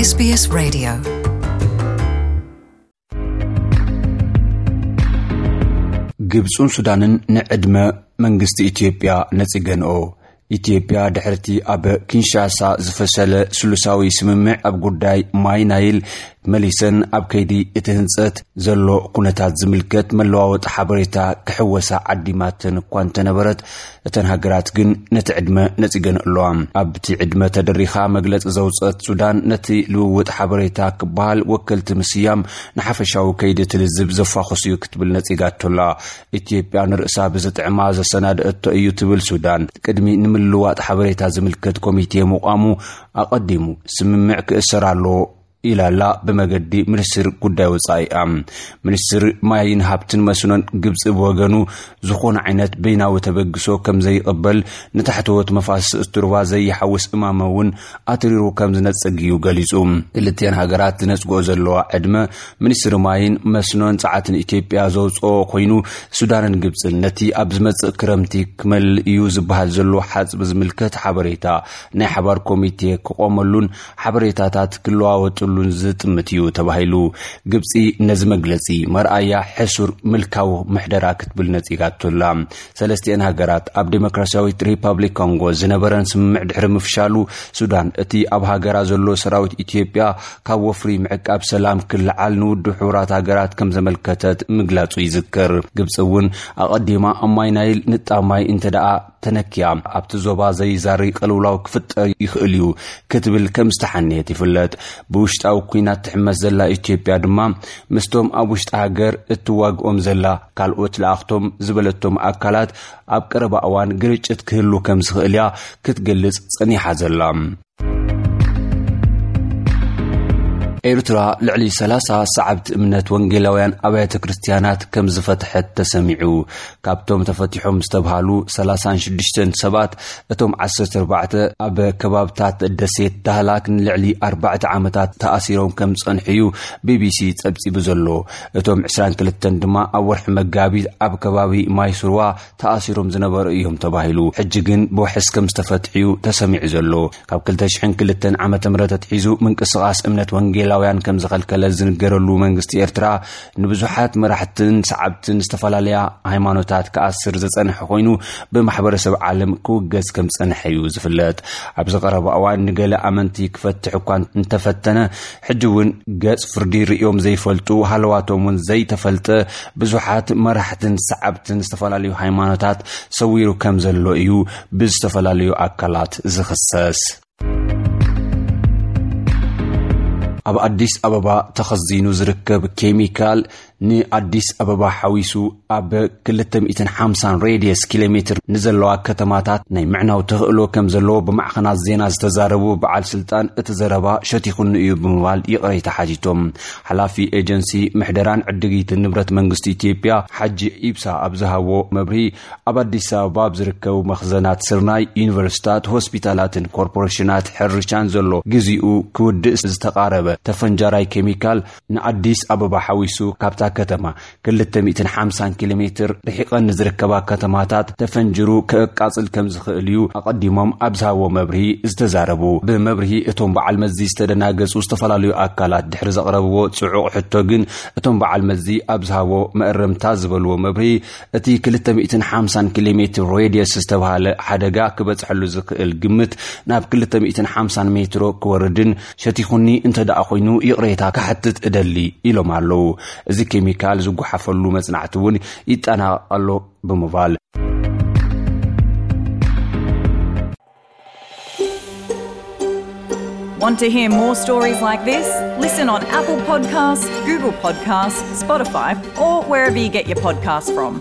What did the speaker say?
SBS Radio. ግብጹን ሱዳንን ንዕድመ መንግስቲ ኢትዮጵያ ነጺገንኦ። ኢትዮጵያ ድሕርቲ ኣብ ኪንሻሳ ዝፈሰለ ስሉሳዊ ስምምዕ ኣብ ጉዳይ ማይ ናይል መሊሰን ኣብ ከይዲ እቲ ህንጸት ዘሎ ኩነታት ዝምልከት መለዋወጢ ሓበሬታ ክሕወሳ ዓዲማተን እኳ እንተነበረት፣ እተን ሃገራት ግን ነቲ ዕድመ ነጺገን ኣለዋ። ኣብቲ ዕድመ ተደሪኻ መግለጺ ዘውጸት ሱዳን፣ ነቲ ልውውጥ ሓበሬታ ክበሃል ወከልቲ ምስያም ንሓፈሻዊ ከይዲ ትልዝብ ዘፋኹስ እዩ ክትብል ነጺጋቶ ኣላ። ኢትዮጵያ ንርእሳ ብዝጥዕማ ዘሰናድእቶ እዩ ትብል ሱዳን፣ ቅድሚ ንምልዋጥ ሓበሬታ ዝምልከት ኮሚቴ ምቋሙ ኣቐዲሙ ስምምዕ ክእሰር ኣለዎ ኢላላ ብመገዲ ሚኒስትር ጉዳይ ወጻኢኣ። ሚኒስትር ማይን ሃብትን መስኖን ግብጺ ብወገኑ ዝኾነ ዓይነት በይናዊ ተበግሶ ከም ዘይቕበል፣ ንታሕተዎት መፋስስ እቲ ሩባ ዘይሓውስ እማመ እውን ኣትሪሩ ከም ዝነጽግ እዩ ገሊጹ። ክልቲአን ሃገራት ዝነጽግኦ ዘለዋ ዕድመ ሚኒስትሪ ማይን መስኖን ጸዓትን ኢትዮጵያ ዘውጽኦ ኮይኑ፣ ሱዳንን ግብጽን ነቲ ኣብ ዝመጽእ ክረምቲ ክመልእ እዩ ዝበሃል ዘሎ ሓጽቢ ዝምልከት ሓበሬታ ናይ ሓባር ኮሚቴ ክቆመሉን ሓበሬታታት ክለዋወጥሉን ዝጥምት እዩ ተባሂሉ። ግብጺ ነዚ መግለጺ መርኣያ ሕሱር ምልካዊ ምሕደራ ክትብል ነጺጋቶ ኣላ። ሰለስቲአን ሃገራት ኣብ ዴሞክራሲያዊት ሪፓብሊክ ኮንጎ ዝነበረን ስምምዕ ድሕሪ ምፍሻሉ፣ ሱዳን እቲ ኣብ ሃገራ ዘሎ ሰራዊት ኢትዮጵያ ካብ ወፍሪ ምዕቃብ ሰላም ክልዓል ንውድብ ሕቡራት ሃገራት ከም ዘመልከተት ምግላጹ ይዝከር። ግብጺ እውን ኣቐዲማ ኣብ ማይ ናይል ንጣብ ማይ እንተ ደኣ ተነኪያ፣ ኣብቲ ዞባ ዘይዛሪ ቅልውላው ክፍጠር ይኽእል እዩ ክትብል ከም ዝተሓነየት ይፍለጥ። ብውሽጣዊ ኲናት ትሕመስ ዘላ ኢትዮጵያ ድማ ምስቶም ኣብ ውሽጢ ሃገር እትዋግኦም ዘላ ካልኦት ለኣኽቶም ዝበለቶም ኣካላት ኣብ ቀረባ እዋን ግርጭት ክህሉ ከም ዝኽእል እያ ክትገልጽ ጸኒሓ ዘላ። ኤርትራ ልዕሊ ሰላሳ ሰዓብቲ እምነት ወንጌላውያን ኣብያተ ክርስትያናት ከም ዝፈትሐት ተሰሚዑ። ካብቶም ተፈቲሖም ዝተብሃሉ ሰላሳን ሽዱሽተን ሰባት፣ እቶም ዓሰርተ ኣርባዕተ ኣብ ከባብታት ደሴት ዳህላክ ንልዕሊ ኣርባዕተ ዓመታት ተኣሲሮም ከም ዝጸንሑ እዩ ቢቢሲ ጸብጺቡ ዘሎ። እቶም ዕስራን ክልተን ድማ ኣብ ወርሒ መጋቢት ኣብ ከባቢ ማይስርዋ ተኣሲሮም ዝነበሩ እዮም ተባሂሉ። ሕጂ ግን ብዋሕስ ከም ዝተፈትሑ እዩ ተሰሚዑ ዘሎ። ካብ ክልተ ሽሕን ክልተን ዓመተ ምህረት ኣትሒዙ ምንቅስቓስ እምነት ወንጌላውያን ከም ዝኸልከለ ዝንገረሉ መንግስቲ ኤርትራ፣ ንብዙሓት መራሕትን ሰዓብትን ዝተፈላለያ ሃይማኖታት ክኣስር ዝጸንሐ ኮይኑ፣ ብማሕበረሰብ ዓለም ክውገዝ ከም ዝጸንሐ እዩ ዝፍለጥ። ኣብዚ ቀረባ እዋን ንገለ ኣመንቲ ክፈትሕ እኳ እንተፈተነ፣ ሕጂ እውን ገጽ ፍርዲ ርእዮም ዘይፈልጡ፣ ሃለዋቶም እውን ዘይተፈልጠ፣ ብዙሓት መራሕትን ሰዓብትን ዝተፈላለዩ ሃይማኖታት ሰዊሩ ከም ዘሎ እዩ ብዝተፈላለዩ ኣካላት ዝኽሰስ። ኣብ ኣዲስ ኣበባ ተኸዚኑ ዝርከብ ኬሚካል፣ ንኣዲስ ኣበባ ሓዊሱ ኣብ ክልተ ሚእትን ሓምሳን ሬድየስ ኪሎ ሜትር ንዘለዋ ከተማታት ናይ ምዕናው ተኽእሎ ከም ዘለዎ ብማዕኸናት ዜና ዝተዛረቡ በዓል ስልጣን፣ እቲ ዘረባ ሸቲኹኒ እዩ ብምባል ይቕሬታ ሓቲቶም። ሓላፊ ኤጀንሲ ምሕደራን ዕድጊትን ንብረት መንግስቲ ኢትዮጵያ ሓጂ ኢብሳ ኣብ ዝሃቦ መብርሂ፣ ኣብ ኣዲስ ኣበባ ኣብ ዝርከቡ መኽዘናት ስርናይ፣ ዩኒቨርሲታት፣ ሆስፒታላትን ኮርፖሬሽናት ሕርሻን ዘሎ ግዜኡ ክውድእ ዝተቓረበ ተፈንጃራይ ኬሚካል ንኣዲስ ኣበባ ሓዊሱ ካብታ ከተማ ክልተ ሚእትን ሓምሳን ኪሎ ሜትር ርሒቐን ንዝርከባ ከተማታት ተፈንጅሩ ከቃጽል ከም ዝኽእል እዩ ኣቐዲሞም ኣብ ዝሃቦ መብርሂ ዝተዛረቡ። ብመብርሂ እቶም በዓል መዚ ዝተደናገጹ ዝተፈላለዩ ኣካላት ድሕሪ ዘቕረብዎ ጽዑቕ ሕቶ ግን፣ እቶም በዓል መዚ ኣብ ዝሃቦ መእረምታ ዝበልዎ መብርሂ፣ እቲ ክልተ ሚእትን ሓምሳን ኪሎ ሜትር ሬድየስ ዝተባህለ ሓደጋ ክበጽሐሉ ዝኽእል ግምት ናብ ክልተ ሚእትን ሓምሳን ሜትሮ ክወርድን ሸቲኹኒ እንተ ደኣ ኮይኑ ይቕሬታ ክሓትት እደሊ ኢሎም ኣለዉ። እዚ ኬሚካል ዝጓሓፈሉ መጽናዕቲ እውን ይጠናቐቕ ኣሎ ብምባል። Want to hear more stories like this? Listen on Apple Podcasts, Google Podcasts, Spotify, or wherever you get your podcasts from.